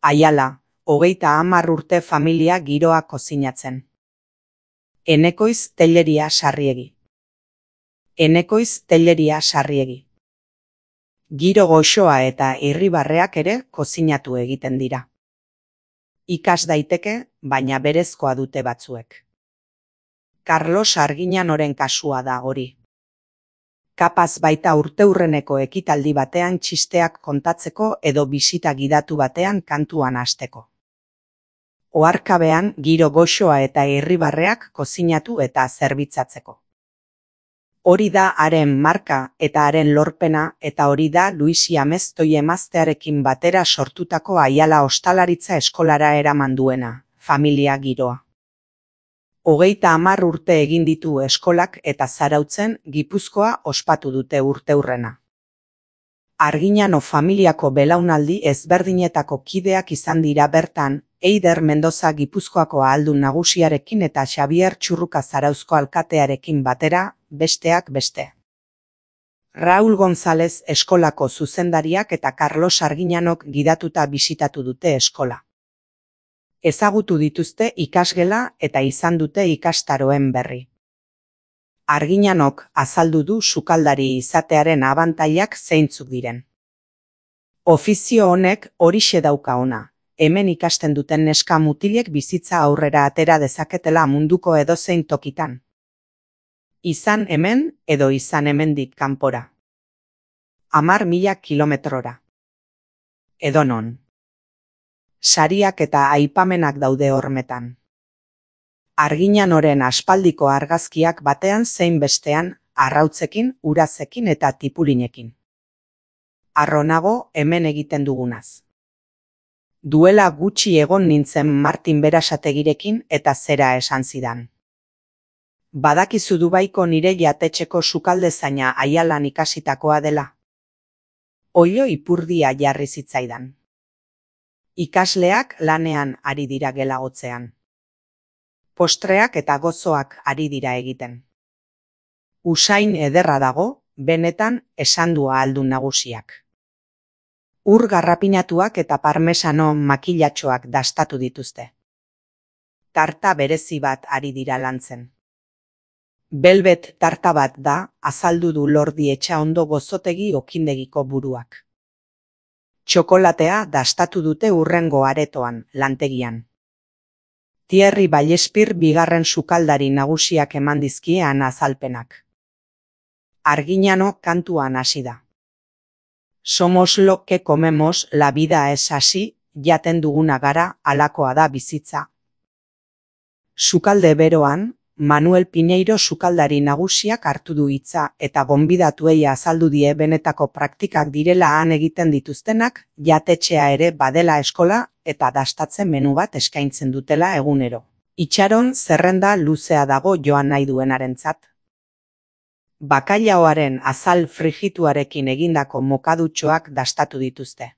Aiala, 30 urte familia giroa kozinatzen. Enekoiz Telleria Sarriegi. Enekoiz Telleria Sarriegi. Giro goxoa eta irribarreak ere kozinatu egiten dira. Ikas daiteke, baina berezkoa dute batzuek. Carlos Arguiñanoren kasua da hori. Kapaz baita urteurreneko ekitaldi batean txisteak kontatzeko edo bisita gidatu batean kantuan hasteko. Oharkabean giro goxoa eta irribarreak kozinatu eta zerbitzatzeko. Hori da haren marka eta haren lorpena eta hori da Luisi Ameztoi emaztearekin batera sortutako Aiala Ostalaritza Eskolara eraman duena, familia giroa. 30 urte egin ditu eskolak eta Zarautzen Gipuzkoa ospatu dute urteurrena. Arguiñano familiako belaunaldi ezberdinetako kideak izan dira bertan, Eider Mendoza Gipuzkoako ahaldun nagusiarekin eta Xabier Txurruka Zarauzko alkatearekin batera, besteak beste. Raul González eskolako zuzendariak eta Carlos Arguiñanok gidatuta bisitatu dute eskola. Ezagutu dituzte ikasgela eta izan dute ikastaroen berri. Arguiñanok azaldu du sukaldari izatearen abantailak zeintzuk diren. Ofizio honek horixe dauka ona, hemen ikasten duten neska mutilek bizitza aurrera atera dezaketela munduko edozein tokitan. Izan hemen edo izan hemendik kanpora. 10.000 kilometrora. Edonon. Sariak eta aipamenak daude hormetan. Arguiñanoren aspaldiko argazkiak batean zein bestean, arrautzekin, urazekin eta tipulinekin. Arronago hemen egiten dugunaz. Duela gutxi egon nintzen Martin Berasategirekin eta zera esan zidan. Badakizu Dubaiko nire jatetxeko sukaldezaina Aialan ikasitakoa dela. Oilo ipurdia jarri zitzaidan. Ikasleak lanean ari dira gelagotzean. Postreak eta gozoak ari dira egiten. Usain ederra dago, benetan esan du ahaldun nagusiak. Ur garrapinatuak eta parmesano makilatxoak dastatu dituzte. Tarta berezi bat ari dira lantzen. Belbet tarta bat da, azaldu du Lordi Etxaondo Gozotegi okindegiko buruak. Txokolatea dastatu dute hurrengo aretoan, lantegian. Thierry Vallespir bigarren sukaldari nagusiak eman dizkiean azalpenak. Arguiñano kantuan hasi da. Somos lo que comemos, la vida es así, jaten duguna gara, halakoa da bizitza. Sukalde beroan, Manuel Piñeiro sukaldari nagusiak hartu du hitza eta gonbidatuei azaldu die benetako praktikak direla han egiten dituztenak, jatetxea ere badela eskola eta dastatzen menu bat eskaintzen dutela egunero. Itxaron zerrenda luzea dago joan nahi duenarentzat. Bakailaoaren azal frigituarekin egindako mokadutxoak dastatu dituzte.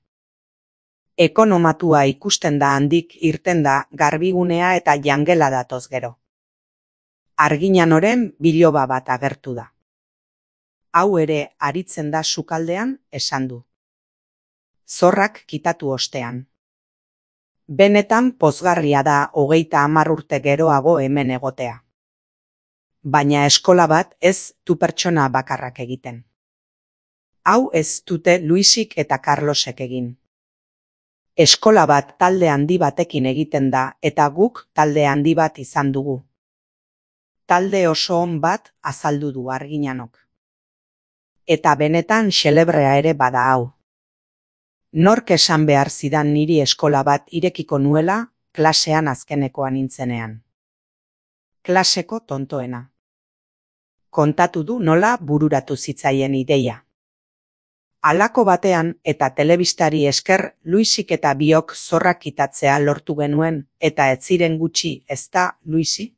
Ekonomatua ikusten da handik irten da garbigunea eta jangela datoz gero. Arguiñanoren biloba bat agertu da. Hau ere aritzen da sukaldean, esan du. Zorrak kitatu ostean. Benetan pozgarria da 30 urte geroago hemen egotea. Baina eskola bat ez du pertsona bakarrak egiten. Hau ez dute Luisik eta Carlosek egin. Eskola bat talde handi batekin egiten da eta guk talde handi bat izan dugu. Talde oso on bat azaldu du Arguiñanok. Eta benetan xelebrea ere bada hau. Nork esan behar zidan niri eskola bat irekiko nuela, klasean azkenekoa nintzenean. Klaseko tontoena. Kontatu du nola bururatu zitzaien ideia. Halako batean eta telebistari esker Luisik eta biok zorrak kitatzea lortu genuen eta ez ziren gutxi, ezta Luisi?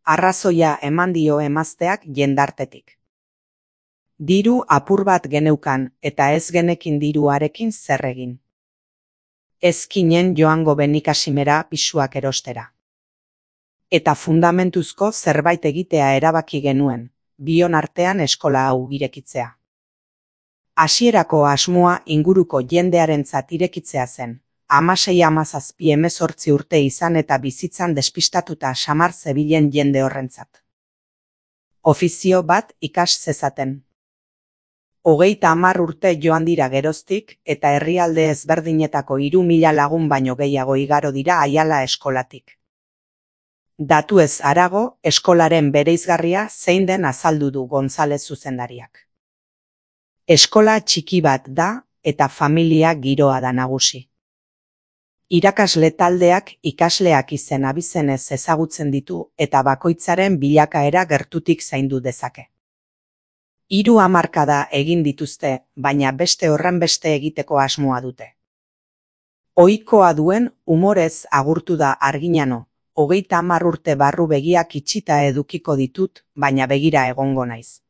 Arrazoia eman dio emazteak jendartetik. Diru apur bat geneukan eta ez genekin diruarekin zer egin. Ezkinen joango Benikasimera pisuak erostera. Eta fundamentuzko zerbait egitea erabaki genuen, bion artean eskola hau irekitzea. Hasierako asmoa inguruko jendearentzat irekitzea zen, 16-17 urte izan eta bizitzan despistatuta samar zebilen jende horrentzat. Ofizio bat ikas zezaten. 30 urte joan dira geroztik eta herrialde ezberdinetako 3.000 lagun baino gehiago igaro dira Aiala eskolatik. Datuez harago, eskolaren bereizgarria zein den azaldu du Gonzalez zuzendariak. Eskola txiki bat da eta familia giroa da nagusi. Irakasle taldeak ikasleak izen abizenez ezagutzen ditu eta bakoitzaren bilakaera gertutik zaindu dezake. 3 hamarkada egin dituzte, baina beste horrenbeste egiteko asmoa dute. Ohikoa duen umorez agurtu da Arginano, 30 urte barru begiak itxita edukiko ditut, baina begira egongo naiz.